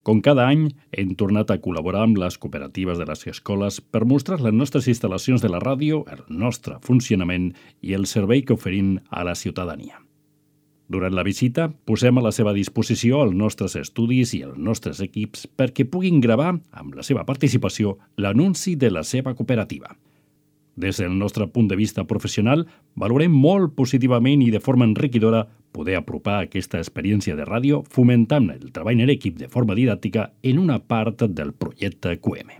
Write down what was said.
Com cada any, hem tornat a col·laborar amb les cooperatives de les escoles per mostrar les nostres instal·lacions de la ràdio, el nostre funcionament i el servei que oferim a la ciutadania. Durant la visita, posem a la seva disposició els nostres estudis i els nostres equips perquè puguin gravar, amb la seva participació, l'anunci de la seva cooperativa. Des del nostre punt de vista professional, valorem molt positivament i de forma enriquidora poder apropar aquesta experiència de ràdio fomentant el treball en equip de forma didàctica en una part del projecte QM.